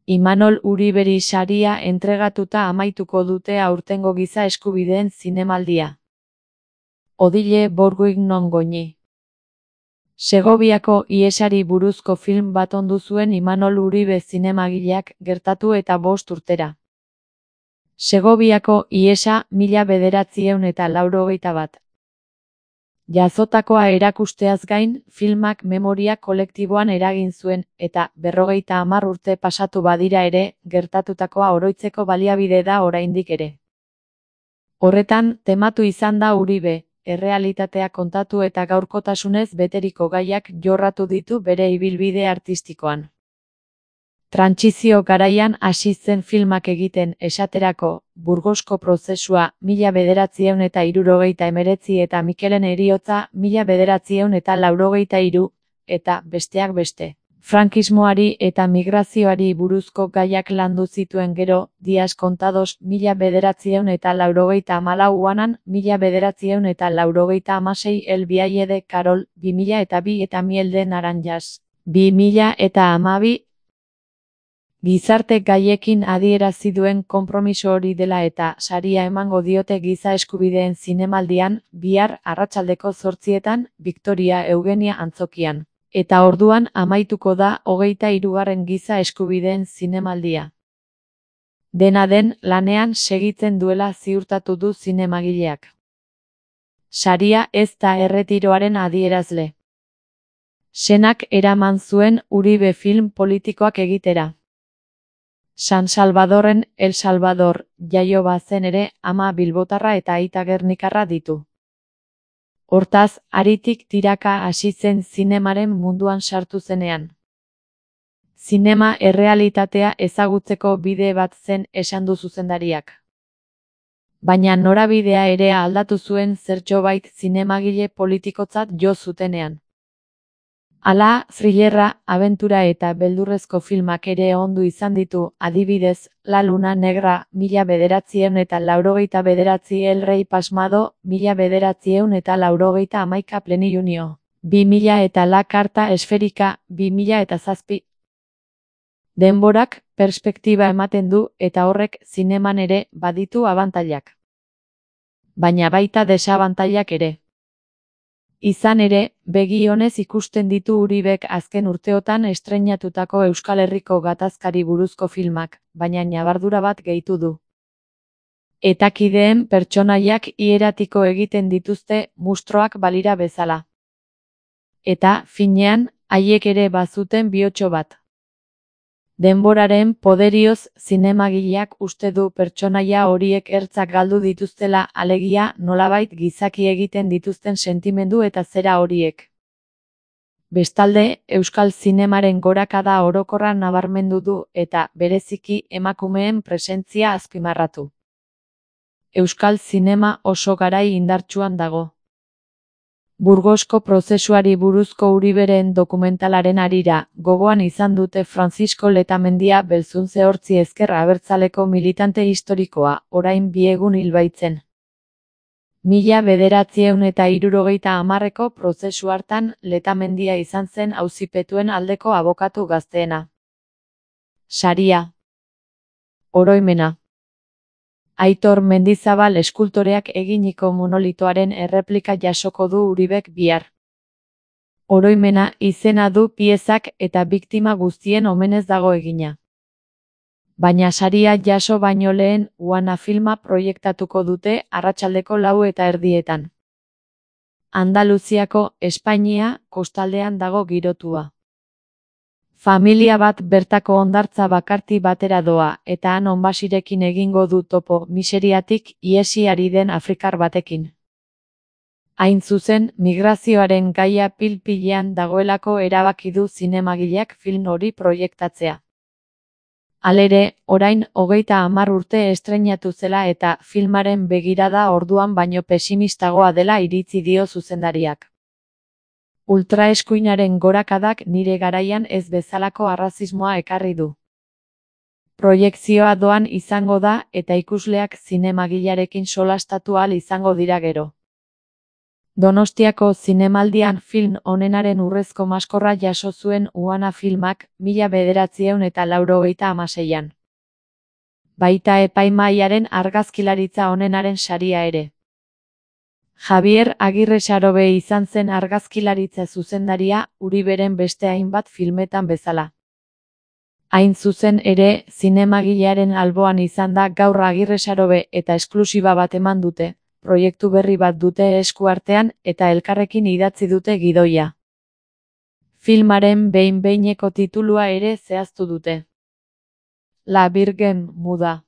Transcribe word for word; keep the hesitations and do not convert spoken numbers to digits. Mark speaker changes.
Speaker 1: Imanol Uriberi saria entregatuta amaituko dute aurtengo giza eskubideen zinemaldia. Odile Bourguignon Goñi. Segoviako ihesari buruzko film bat ondu zuen Imanol Uribe zinemagileak gertatu eta bost urtera. Segoviako ihesa mila bederatziehun eta laurogeita bat. Jazotakoa erakusteaz gain, filmak memoria kolektiboan eragin zuen, eta berrogeita hamar urte pasatu badira ere, gertatutakoa oroitzeko baliabide da oraindik ere. Horretan, tematu izan da Uribe, errealitatea kontatu eta gaurkotasunez beteriko gaiak jorratu ditu bere ibilbide artistikoan. Trantsizio garaian hasi zen filmak egiten, esaterako, Burgosko prozesua mila bederatziehun eta hirurogeita hemeretzi eta Mikelen heriotza mila bederatziehun eta laurogeita hiru, eta besteak beste. Frankismoari eta migrazioari buruzko gaiak landu zituen gero, Dias Contados mila bederatziehun eta laurogeita hamalau Uanan mila bederatziehun eta laurogeita hamasei El Vialle de Carol bi mila eta bi eta Miel de Naranjas bi mila eta hamabi. Gizarte gaiekin adierazi duen konpromiso hori dela eta saria emango diote giza eskubideen zinemaldian, bihar arratsaldeko zortzietan, Victoria Eugenia antzokian. Eta orduan amaituko da hogeita hirugarren giza eskubideen zinemaldia. Dena den, lanean segitzen duela ziurtatu du zinemagileak. Saria ez da erretiroaren adierazle. Senak eraman zuen Uribe film politikoak egitera. San Salvadorren El Salvador jaio bazen ere, ama bilbotarra eta aita gernikarra ditu. Hortaz, haritik tiraka hasi zen zinemaren munduan sartu zenean. Zinema errealitatea ezagutzeko bide bat zen esan du zuzendariak. Baina norabidea ere aldatu zuen zertxobait zinemagile politikotzat jo zutenean. Hala, thrillerra, abentura eta beldurrezko filmak ere ondu izan ditu, adibidez, La Luna Negra, mila bederatziehun eta laurogeita bederatzi El Rey Pasmado, mila bederatziehun eta laurogeita hamaika Plenilunio, bi mila eta La Carta Esférica, bi mila eta zazpi. Denborak, perspektiba ematen du, eta horrek zineman ere baditu abantailak. Baina baita desabantailak ere. Izan ere, begi onez ikusten ditu Uribek azken urteotan estreinatutako Euskal Herriko gatazkari buruzko filmak, baina ñabardura bat gehitu du. Etakideen pertsonaiak hieratiko egiten dituzte mustroak balira bezala. Eta, finean, haiek ere bazuten bihotxo bat. Denboraren poderioz zinemagileak uste du pertsonaia horiek ertzak galdu dituztela, alegia nolabait gizaki egiten dituzten sentimendu eta zera horiek. Bestalde, euskal zinemaren gorakada orokorra nabarmendu du eta bereziki emakumeen presentzia azpimarratu. Euskal zinema oso garai indartsuan dago. Burgosko prozesuari buruzko Uriberen dokumentalaren harira, gogoan izan dute Francisco Letamendia Belzuntze Hortzi ezker abertzaleko militante historikoa, orain bi egun hil baitzen. Mila bederatziehun eta hirurogeita hamarreko prozesu hartan Letamendia izan zen auzipetuen aldeko abokatu gazteena. Saria. Oroimena. Aitor Mendizabal eskultoreak eginiko monolitoaren erreplika jasoko du Uribek bihar. Oroimena izena du piezak eta biktima guztien omenez dago egina. Baina saria jaso baino lehen Uana filma proiektatuko dute arratsaldeko lau eta erdietan. Andaluziako, Espainia, kostaldean dago girotua. Familia bat bertako hondartza bakarti batera doa, eta han onbasirekin egingo du topo miseriatik ihesi ari den afrikar batekin. Hain zuzen, migrazioaren gaia pil-pilean dagoelako erabaki du zinemagileak film hori proiektatzea. Halere, orain hogeita hamar urte estreinatu zela eta filmaren begirada orduan baino pesimistagoa dela iritzi dio zuzendariak. Ultraeskuinaren gorakadak nire garaian ez bezalako arrazismoa ekarri du. Proiekzioa doan izango da eta ikusleak zinemagilearekin solastatu ahal izango dira gero. Donostiako Zinemaldian film onenaren urrezko maskorra jaso zuen Uana filmak mila bederatziehun eta laurogeita hamaseian. Baita epaimahaiaren argazkilaritza onenaren saria ere. Javier Agirre Sarobe izan zen argazkilaritza zuzendaria Uriberen beste hainbat filmetan bezala. Hain zuzen ere, zinemagilearen alboan izan da gaur Agirre Sarobe eta esklusiba bat eman dute, proiektu berri bat dute esku artean eta elkarrekin idatzi dute gidoia. Filmaren behin-behineko titulua ere zehaztu dute. La Virgen Muda.